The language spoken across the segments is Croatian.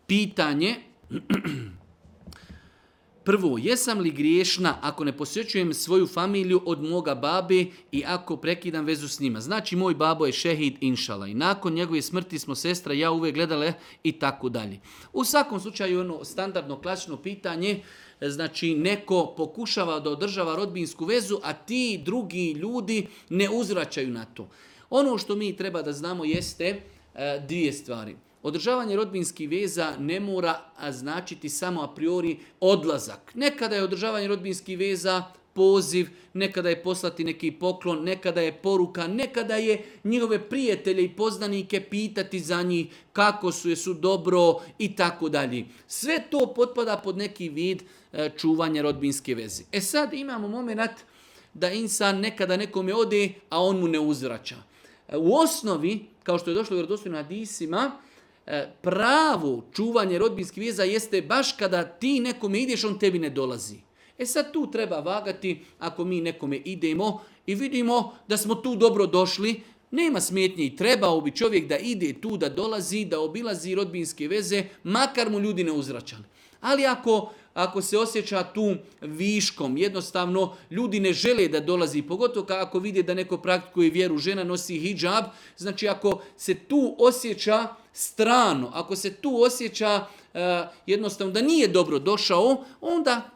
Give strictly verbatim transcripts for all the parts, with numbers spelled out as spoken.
pitanje. Prvo, jesam li griješna ako ne posjećujem svoju familiju od moga babe i ako prekidam vezu s njima? Znači, moj babo je šehid, inšala, i nakon njegove smrti smo sestra i ja uvijek gledale i tako dalje. U svakom slučaju, ono standardno, klasično pitanje, znači neko pokušava da održava rodbinsku vezu, a ti drugi ljudi ne uzvraćaju na to. Ono što mi treba da znamo jeste e, dvije stvari. Održavanje rodbinskih veza ne mora značiti samo a priori odlazak. Nekada je održavanje rodbinskih veza poziv, nekada je poslati neki poklon, nekada je poruka, nekada je njihove prijatelje i poznanike pitati za njih kako su, jesu dobro i tako dalje. Sve to potpada pod neki vid e, čuvanja rodbinske veze. E sad imamo moment da insan nekada nekome ode, a on mu ne uzvraća. E, u osnovi, kao što je došlo u vjerodostojnim hadisima, pravo čuvanje rodbinskih veza jeste baš kada ti nekome ideš, on tebi ne dolazi. E sad tu treba vagati, ako mi nekome idemo i vidimo da smo tu dobro došli, nema smetnje i trebao bi čovjek da ide tu, da dolazi, da obilazi rodbinske veze, makar mu ljudi ne uzvraćali. Ali ako, ako se osjeća tu viškom, jednostavno ljudi ne žele da dolazi, pogotovo ako vide da neko praktikuje vjeru, žena nosi hidžab, znači ako se tu osjeća strano, ako se tu osjeća uh, jednostavno da nije dobro došao, onda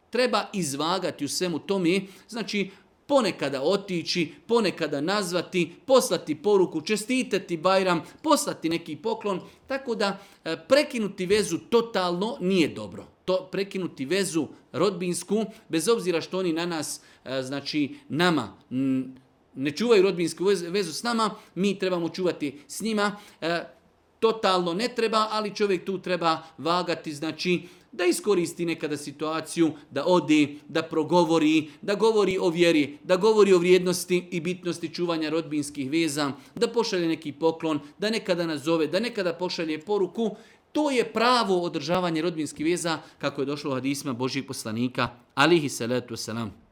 treba izvagati u svemu tome, znači ponekada otići, ponekada nazvati, poslati poruku, čestitati Bajram, poslati neki poklon, tako da uh, prekinuti vezu totalno nije dobro. To prekinuti vezu rodbinsku, bez obzira što oni na nas, uh, znači nama, m, ne čuvaju rodbinsku vezu s nama, mi trebamo čuvati s njima. Uh, Totalno ne treba, ali čovjek tu treba vagati, znači da iskoristi nekada situaciju, da ode, da progovori, da govori o vjeri, da govori o vrijednosti i bitnosti čuvanja rodbinskih veza, da pošalje neki poklon, da nekada nazove, da nekada pošalje poruku. To je pravo održavanje rodbinskih veza kako je došlo u hadisima Božjih poslanika, alihi salatu wasalam.